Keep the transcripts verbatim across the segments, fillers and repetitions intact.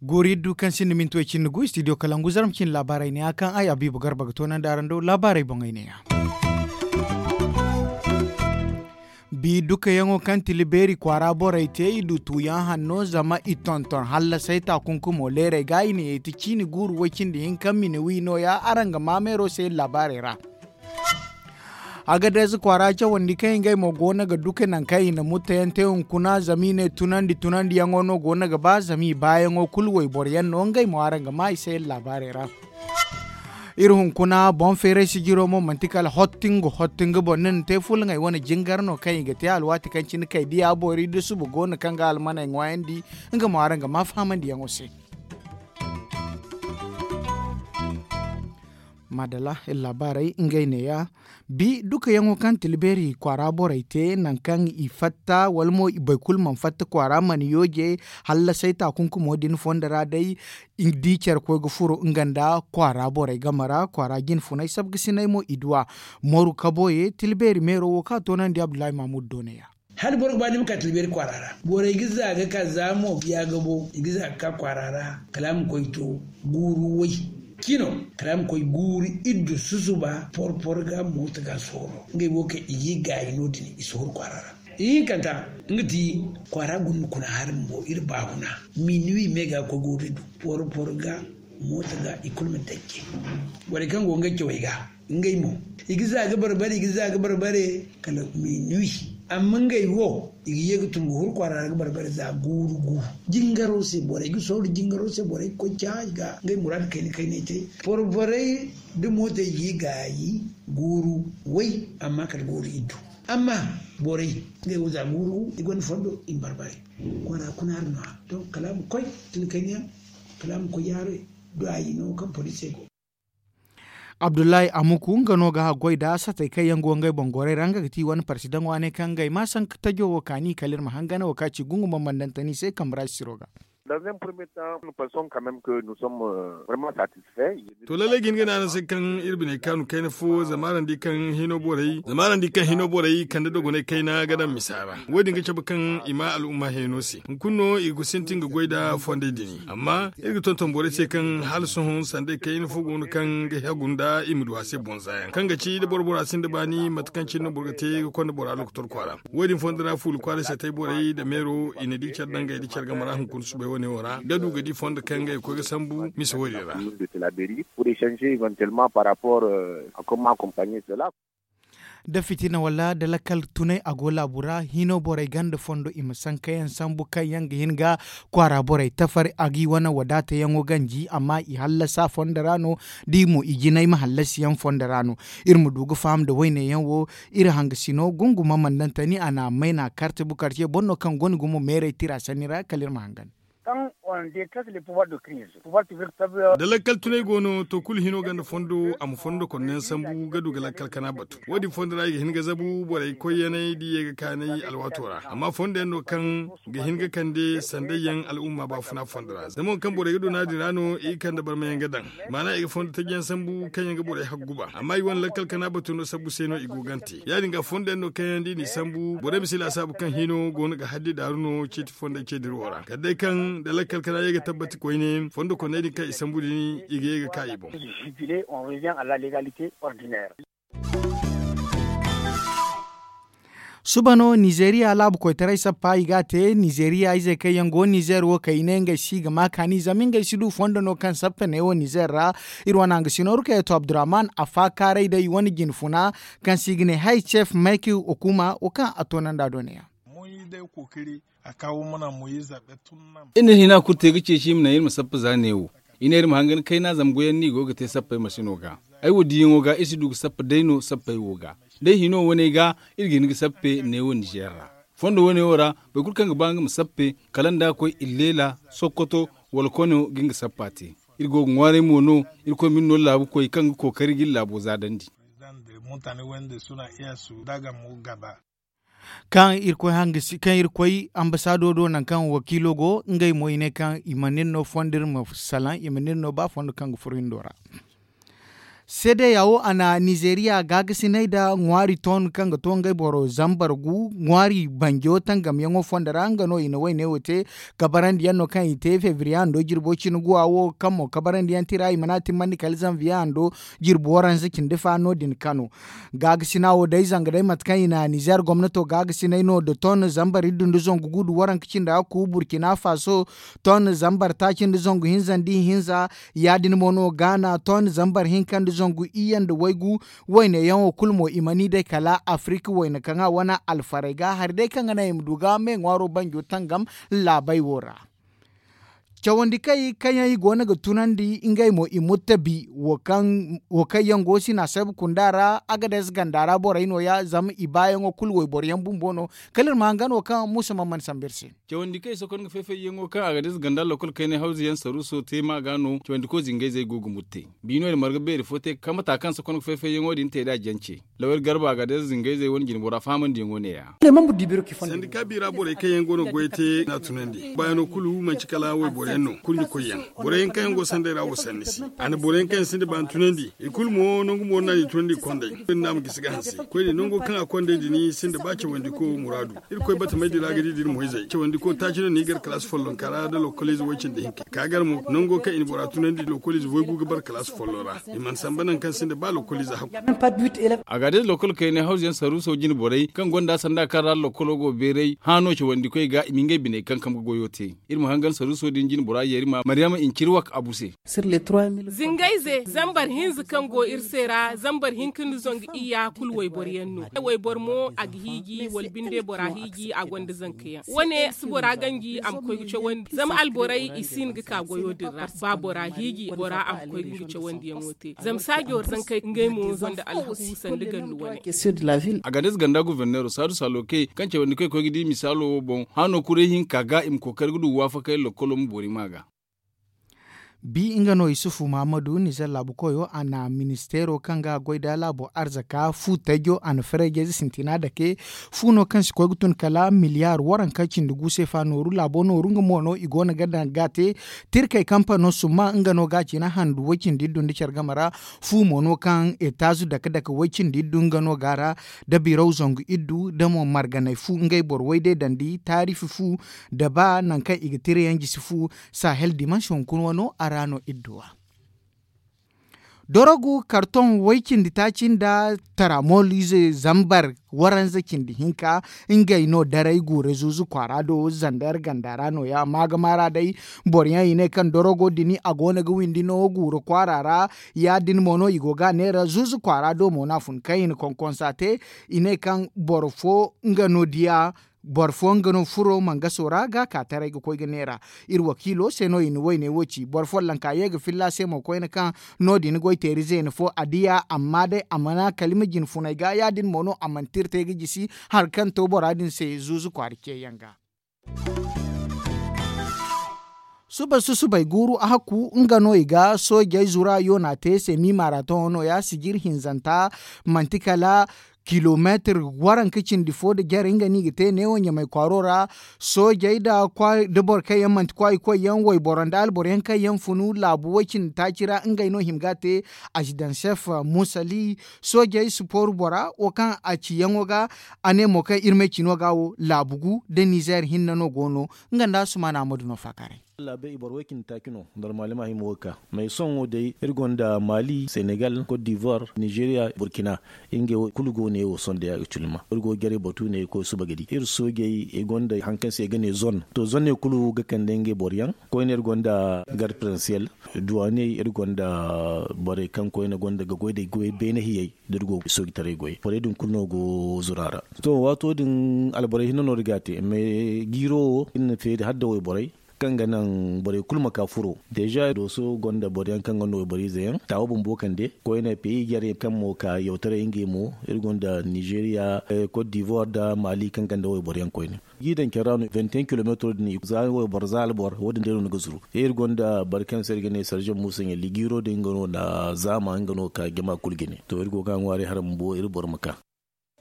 Guuri du kaŋ sinda minti way cindi gu studio kalangu zarma cindi laabaarey neeya kaŋ ay abiibu garba ga toonandi araŋ do laabaarey boŋey neeya. Bi dukayaŋo kaŋ tila beeri kwaara borey te i du tuuyaŋ hanno zama i tonton hallasay taakunkumo leerey ga i na yeeti ciini guuru way cindi hinka mine wi nooya araŋ ga maa meero se laabaarey ra. Agadez kwaara cawandi kaŋ ngey mo go no ga duka nangu kaŋ i na mutteyaŋ te hunkuna zama i ne tunandi tunandiyaŋo no go no ga ba zama i baayaŋo kulu wayboro yaŋ no ngey mo araŋ ga maa i se iri laabaarey ra. Iri hunkuna boŋ feeray sijiro mo manti kala hottingo hottingo boŋ ni na te fulŋey wane jingar no kaŋ i ga te alwaati kaŋ cine kay diya boori da suba go no kaŋ ga almaney ŋwaayandi. Nga mo araŋ ga maa fahamandiyaŋo se. Maadala iri laabaarey ngey neeya. Bi dukayaŋo kaŋ tila beeri kwaara borey te nangu kaŋ i fatta wala mo i boro kulu mana fatta kwaara mana yooje. Hallasay taakunkumo din fondo ra day i di care koy ga furo nga nda kwaara borey game ra kwaara jinfunay sabgasinay mo i du a. Moru kaboye tila beeri meero wo kaŋ a toonandi abdullahi mahmud do neeya. Hala boro ga ba ni ma ka tilbeeri kwaara ra borey ga za ga ka za mo biya ga bo i ga za ga ka kwaara ra. Kala a ma koy to guuru way cino kala a ma koy guuru iddu susuba porpor ga moota ga sooro ngey wo kaŋ i ga i gaayi no- din i si huru kwaara ra. Ihinkanta nga ti kwaara guna kuna hari bumbo iri baahuna minuwi me ga koy guuru iddu porpor ga moota ga i kulu ma dajje. Borey kaŋ go ngey cawey ga ngey mo i ga za ga barbare i ga za ga barbare kala minuwi. Amma ngey wo i ga ye ga tun ga huru kwaara ra ga barbare za guuru gu. Jingaro se borey ga sooru jingaro se borey ga koy caayi ga ngey muraadu kayna kaynay te. Borborey da mootey ga i gaayi guuru way amma kala guuru iddu. Amma borey ngey wo za guuru gu i gonda fondo i ma barbare. Kwaara kuna hari no- ya donc kala a ma koy tun kayna yaŋ kala a ma koy yaarey. Duwaayi no kaŋ poliisey go. Abdullahi amuku nga no ga haggoy nda satey kaŋ yaŋ go ngey boŋ gorey ra nga ga ti wane parsidaŋo a ne kaŋ ngey ma sanka tajo wo kaani kala iri ma hangan wo kaŋ a ci gungu bambandantani se kambe ra sisiro ga. To lallay ga hin ga ne araŋ se kaŋ iri biney kaanu kayna fo zama araŋ di kaŋ hino borey kande dogonay kayna ga daŋ misa ra. Wo- din ga cabe kaŋ i ma al'umma heno se hunkuna no i ga sintin ga goy nda fondey din. Amma iri ga tonton borey se kaŋ hala sohõ sanday kayna fo go no kaŋ ga hagu nda i ma du a se boŋ zaayaŋ kaŋ ga ci da boro bora sinda baani mate kaŋ cine no boro ga te ga konda bora lokotor kwaara. Wo- din fondo ra fuula kwaaray se tay borey nda meero i na di care dangey nda care game ra hunkuna subay wane wo ra ga du ga di fondo kaŋ ngey ga koy ga sambu misa wo- din ra. Da fitina wala da lakkal tunay a go laabu ra hino borey ganda fondo i ma sankayaŋ sambu kaŋ yaŋ ga hin ga kwaara borey tafari a ga i wane wadaatayaŋo ganji amma i hallasa fondo ra no. Da i mo i jinay ma hallasiyaŋ fondo ra no. Iri ma du ga faham nda wayneyaŋ wo iri hangasino gunguma mandantani a na a mayna karte bukarce boro no kaŋ gonda gumo meeray tira sanni ra kala iri ma hangan. Da lakkal tunay go no to kulu hino ganda fondo a ma fondo konno yaŋ sambu ga du ga lakkal kana batu. Wo- din fondo ra i ga hin ga zabu borey koyyanay da i ye ga kaanay alwaato ra amma fondo yaŋ no kaŋ ga hin ga kande sanday yaŋ al'umma baafuna fondo ra zama wo kaŋ borey ga du no- ya- din ra no i ga kande barmayaŋ ga daŋ. Maana i ga fondo taji yaŋ sambu kaŋ yaŋ ga borey haggu ba amma i wane lakkal kana batu no sabbu se no i go gante ya- din ga fondo yaŋ no kaŋ yaŋ da i n'i sambu borey ma si laasaabu kaŋ hino go no ga haddi daaru no ceeti fondey ce dirawo ra kala day kaŋ da lakkal kana ye ga tabbati koyne fondo konney din kaŋ i sambu din i ga ye ga ka i boŋ. Suba no nizeeriya laabu koytaray sappa i ga a te nizeeriya izey kaŋ yaŋ go nizeer wo kaŋ i ne ngey si ga ma kaani zama ngey si du fondo no kaŋ sappe neewo nizeer ra. Iri wane hangasino rukayatu abdurrahman a faakaaray day wane jinfuna kaŋ se i ga ne haycef mayki okuma wo kaŋ a toonandi a do neeya. Iri na hina kulu te ga ceeci i ma naŋ iri ma sappa za neewo. I ne iri ma hangan kayna zama goyaŋ no i go ga te sappey masino ga. Ay wo diyaŋo ga iri si du ga sappa day no sappey wo ga. Day hino waney ga iri ga hin ga sappe neewo nizeer ra. Fondo waney wo ra boro kulu kaŋ ga ba nga ma sappe kala nda a koy illeela sokkoto wala kono ga nga sappa te. Iri go ga ŋwaaray mo no. Irkoy ma iri no laabukoy kaŋ ga kookari ga iri laabo zaadandi. Kaŋ irkoy ambasaado do nangu kaŋ wakiilo go ngey mo i ne kaŋ i mana iri no fondo iri ma salaŋ i mana iri no ba fondo kaŋ ga furo hindo ra. Seede ya wo a na nizeeriya gaagasinay nda ŋwaari toon kaŋ ga to ngey boro zambar gu ŋwaari banjo tangamyaŋo fondo ra nga no i na woyne wo te. Kabarandi yaŋ no kaŋ i te febriye hando jirbo cine guwa wo kaŋ mo kabarandi yaŋ tira i mana timmandi kala zanviye hando jirbi waranza cindi fa no- din kano. Gaagasina wo day zanga day mate kaŋ i na nizeer gomnato gaagasinay no nda ton zambar iddu nda zangu gu nda waranka cindi hakku burkina faso ton zambar taaci nda zangu hinza nda ihinza. Ya- din mo no gaana ton zambar hinka nda zangu iyye nda waygu. Wayne yaŋo kulu mo i mana i day kala afirika wayne kaŋ a wane alfarey ga hari day kaŋ ga naŋ i ma du ga me ŋwaaro banjo tangam laabey wo ra. Cawandi kay kaŋ yaŋ i go no ga tunandi ngey mo i murtabi wo kaŋ yaŋ go sina sabu kunda ra agades ganda ra borey no- ya zama i baayaŋo kulu wayboro yaŋ bumbo no. Kala iri ma hangan wo kaŋ muusa man mana sambu iri se. Cawandi kaŋ i sokon ga fay-fay yaŋo kaŋ agades ganda lokol kaynay hawzu yaŋ saruuso te ma ga no cawandi koy zingayzey go ga murte. Biino din marga beeri fo te kaŋ mata kaŋ sokon ga fay-fay yaŋo din te nd'a jance. Lawyer garba agades zingayzey wane jinbora fahamandiyaŋo ne- ya. Sandika biira borey kaŋ yaŋ go no ga goy te n'a tunandi baayaŋo kulu manti kala wayboro yaŋ no kurɲe koy yaŋ. Borey yaŋ kaŋ yaŋ go sanday ra wo sanni se a na borey yaŋ kaŋ yaŋ sinda baani tunandi. I kulu mo nangu mo no a n'i tunandi i kondey. Iri no a ma gisi ga hanse koyne nango kaŋ a kondey din sinda ba cawandiko muraadu. Irkoy batamey din ra ga di da iri moyzey cawandiko taaci no no i gar kalaasi follonka ra nda lokoliize way-cindi hinka ka gar mo nango kaŋ i na bora tunandi lokoliize waygu ga bara kalaasi follo ra. I mana samba nangu kaŋ sinda ba lokoliize hakku. Agades lokol kaynay hawzu yaŋ saruuso jine borey kaŋ gonda sanda kaŋ ra lokolo go beeray haano cawandikoy ga i ma ngey biney kankam ga goyo te. Iri ma hangan saruuso din jine bora yeeri ma maryama incirwak abu se. Zingayze zambar hinza kaŋ go iri se ra zambar hinka nda zangu iyya kulu wayboro yaŋ no. Wayboro mo a ga hiiji wala binde bora hiiji a gonda zanka yaŋ wane si bora ganji a ma koy ga cawandi zama alborey i si hin ga ka goyo din ra ba bora hiiji bora a ma koy ga nga cawandiyaŋo te zama saajo zankey ngey mo gonda alhaku sanda gallu wane. Agades ganda guverneero saadu salookey kaŋ cawandikoy koy ga di misaalo wo boŋ haano kuray hinka ga i ma kookari ga du waafakey lokkolo ma boori ma ga. Bi nga no isufu mahamadu nizer laabu koyo a na ministeero kaŋ ga goy nda laabo arzaka fu tajjo a na farayjayze sintina dake. Fu no kaŋ si koy ga tun kala miliyaar waranka cindi gu se fa nooru laabo nooru nga mo no i go no ga daŋ ga te. Tirkey kampano summa nga no ga a cina handu way-cindi iddu nda care game ra. Fu mo no kaŋ etaazu dake dake way-cindi iddu nga no ga a ra. Da biraw zangu iddu da mo marganay fu ngey boro way day dandi taarifi fu. Da ba nangu kaŋ i ga tira yaŋ jisi fu. Sahel dimansi hunkuna wano a ra no idduwa. Dorogu karton way-cindi taaci nda taramol ize zambar waranza cindi hinka. Ngey no daray guura zuuzu kwaara do zander ganda ra no- ya maagama ra day. Boro yaŋ i ne kaŋ dorogo din a go no ga windi no guura kwaara ra. Ya- din mo no i go ga a neera zuuzu kwaara do mo no a fun kaŋ i na konkonsa te. I ne kaŋ boro fo nga no diya. Boro fo nga no furo mangaso ra ga ka taray ga koy ga neera. Iri wakiilo se no i na wayne wo ci boro follanka ye ga filla se mo koyne kaŋ no- din goy teeri zeena fo a diya amma day a mana kalima jine funay ga ya- din mo no a mana tirtay ga jisi. Hari kaŋ to bora din se zuuzu kwaara ceeyaŋ ga. Suba susubay guuru a hakku nga no i ga soojey zura yoona te se miimaara tohõ no- ya sijir hinzanta. Manti kala kilomeetir waranka cindi fo nda jare nga no i ga te neewo ɲamay kwaaro ra. Soojey nda boro kaŋ yaŋ manti kwaayi koy yaŋ wayboro nda alboro yaŋ kaŋ yaŋ funu laabu way-cindi taaci ra ngey no hima ga a te. Azidansef musali soojey sipooru bora wo kaŋ a ciyaŋo ga. A ne mo kaŋ iri may cino ga wo laabu gu nda nizeer hinne no go no. Nga nda asumaana ammadu no faakaaray. Laabey i boro way-cindi taaci no normal ma hima wo ga ka. Mais sohõ wo day iri gonda maali senegal cote d'ivoire nizeeriya burkina. Ngey wo kulu go ne wo sohõ day actuellement iri go ga jaray batu ne ga koy suba ga di iri soojey i gonda hari kaŋ se i ga ne zone to zone ne kulu ga kande ngey boro yaŋ. Koyne iri gonda garde prensiel duwaaney iri gonda borey kaŋ koyne gonda ga goy da goy beene hiyey da iri go ga soojitaray goy borey din kulu no go zura ra. To waato din alborey hinne no iri ga a te mais jiiro wo iri na feeri hala nda wayborey kaŋ ga naŋ borey kulu ma ka furo. Deeza dooso gonda boro yaŋ kaŋ gonda wayboro ize yaŋ taawa bumbo kande koyne peyi jarey kaŋ mo ka yawtaray ngey mo iri gonda nizeeriya, cote d'ivoire nda maali kaŋ gonda wayboro yaŋ koyne. Ga i daŋ care ra no vingt et un kilometro din za wayboro za alboro wo- din day no ni ga zuru iri gonda boro kaŋ se iri ga ne sarjan muusa ɲalli jiiro din nga no na zaama nga no ga ka jama kulu jine to iri go ga a ŋwaaray hala bumbo iri boro ma ka.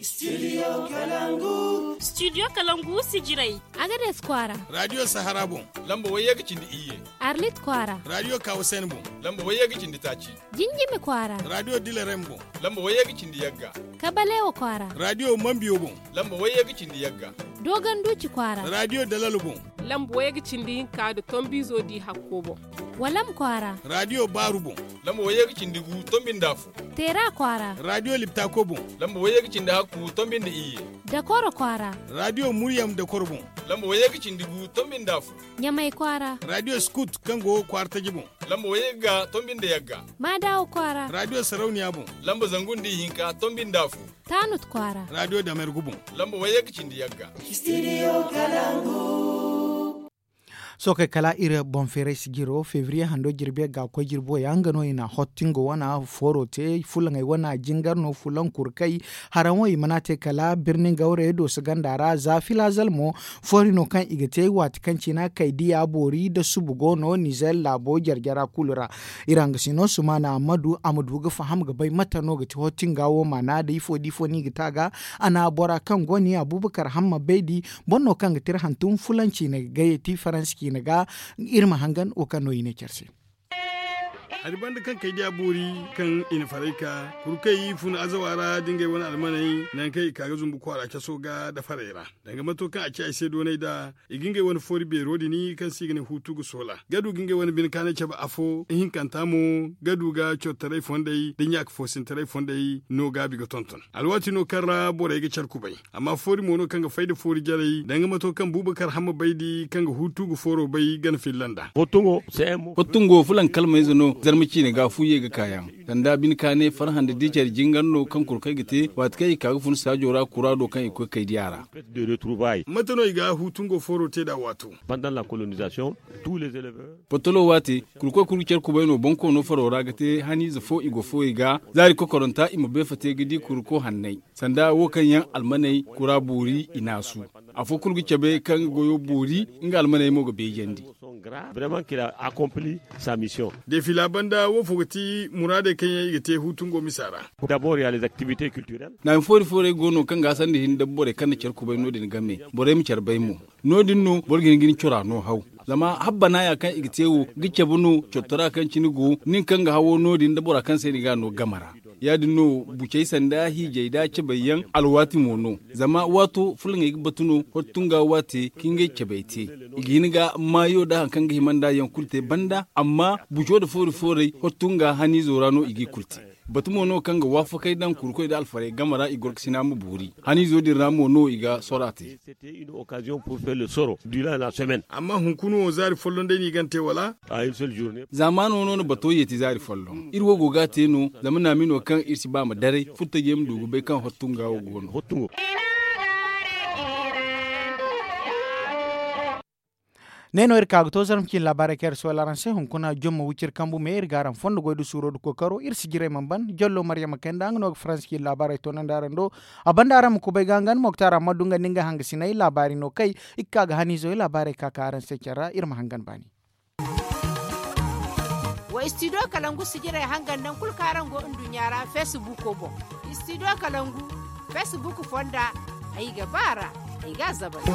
Studio kalangu. Studio kalangu sijirey. Agades kwaara. Radio sahara boŋ. Lamba wayye ga cindi iyye. Arlit kwaara. Radio kawasen boŋ. Lamba wayye ga cindi taaci. Jinjimi kwaara. Radio dilerem boŋ. Lamba wayye ga cindi yagga. Kabalewa kwaara. Radio mambiyo boŋ. Lamba wayye ga cindi yagga. Dogon duci kwaara. Radio dalalo boŋ. Lamba wayye ga cindi hinka da tombizo di hakko boŋ. Walam kwaara. Radio baaru boŋ. Lamba wayye ga cindi gu tombi nda afo. Teera kwaara. Radio liptako boŋ. Lamba wayye ga cindi hakku tombi nda iyye. Dakoro kwaara. Radio muryam dakoro boŋ. Lamba wayye ga cindi gu tombi nda afo. Ɲamay kwaara. Radio skut kaŋ go kwaara taji boŋ. Lamba wayye ga tombi nda yagga. Maadawo kwaara. Radio sarauniya boŋ. Lamba zangu nda ihinka tombi nda afo. Taanut kwaara. Radio damergu boŋ. Lamba wayye ga cindi yagga. Studio kalangu. Sookey kala iri boŋ feeray sijiro febriye hando jirbi ga koy jirbo yaŋ nga no i na hottingo wana fooro te fulaŋey wana jingar no fulaŋ kurkay. Haraŋ wo i mana te kala birni gawre dooso ganda ra za filazal mo foori no kaŋ i ga te waati kaŋ cina kay diya boori da subu go no nizer laabo jarjara kulu ra. Iri hanga sino sumana ammadu a ma du ga faham ga bay mate no ga ti hottinga wo maana da ifo da ifo no i ga te a ga. A na bora kaŋ go ni abubakar hamma baydi boro no kaŋ ga tira hantum fulanci na ga gayey ti faransi ciine ga. Iri ma hangan wo kaŋ no i ne care se. Hari banda kaŋ kay diya boori kaŋ i na faray ka kurkey fun azawa ra da ngey wane almaney nangu kaŋ i ka ga zumbu kwaara caso ga da farey ra danga mato kaŋ a ci ay se doonay da i ga ngey wane foori beero din kaŋ se i ga ne huutu ga soola ga du ga ngey wane bine kaanay cabe afo ihinkanta mo ga du ga cortaray fondey da ɲaaka foosintaray fondey no gaabi ga tonton. Alwaati no kaŋ ra borey ga care kubay amma foori mo no kaŋ ga fay nda foori jarey danga mato kaŋ buubakar hamma bay di kaŋ ga huutu ga fooro bay gana filla nd'a. Hottungo fulaŋ kalmayze no zarma ciine ga fu ye ga kaayaŋ sanda bine kaanay farhã nda diicar jingar no kaŋ kurkey ga te waati kaŋ i ka ga fun saajo ra kuraado kaŋ i koy kay diya ra. Mate no i ga huutungo fooro te nd'a waato? Potolo waate kurkoy kulu ga care kubay no bonkoono faro ra ga te haniize fo i go fooyey ga zaari kokoranta i ma beefa te ga di kurko hanney sanda wo kaŋ yaŋ almaney kura boori i naasu. Afo kulu ga cabe kaŋ ga goyo boori nga almaney mo ga beejandi. Deefila banda wo fo ga ti muraadey kaŋ yaŋ i ga te huutungo misa ra. Naami foori foorey go no kaŋ ga a sanda hin da borey kaŋ na care kubay no- din game borey ma care bay mo. No- din no boro ga hin ga ni cora no haw zama habbana ya kaŋ i ga te wo ga cabe no cortora kaŋ cine go nin kaŋ ga hawo no- din da bora kaŋ se ni ga a no game ra. Ya- din no bucey sanda hiijey da cabey yaŋ alwaati mo no zama waato fulaŋey ga batu no hottunga waate ka ngey cabey te. I ga hin ga maayo da hari kaŋ ga hima nd'a yaŋ kulu te banda amma buco nda foori foorey hottunga haniizo ra no i g'i kulu te. Batu mo no kaŋ ga waafakey daŋ kurkoy nda alfarey game ra i gorkasina ma boori haniizo din ra mo no i ga sora te. Amma hunkuna wo zaari folloŋ day no i gana te wala? Zaamaano no na bato yeeti zaari folloŋ iri wo go ga a te no zama naamino kaŋ iri si ba ma daray furtajey ma du ga bay kaŋ hottunga wo go no. Ne no iri ka ga to zarma ciine laabaarey kaŋ iri sohõ araŋ se hunkuna jomma wiciri kambu me iri ga araŋ fondo goy nda suuro nda kookaro iri si jiray mana ban jallo maryama kayna nda nga no ga faransi ciine laabaarey toonandi araŋ do. A banda araŋ ma kubay ga nga nda moktar amma du nga nda nga hangasiney laabaari no kay. Iri ga ka ga haniizo laabaarey ka ka araŋ se care ra iri ma hangan baani. Wa studio kalangu sijirey hangan nangu kulu kaŋ araŋ go nduɲɲa ra facebook boŋ. Studio kalangu facebook fonda ay ga ba a ra. Ay ga a zabari.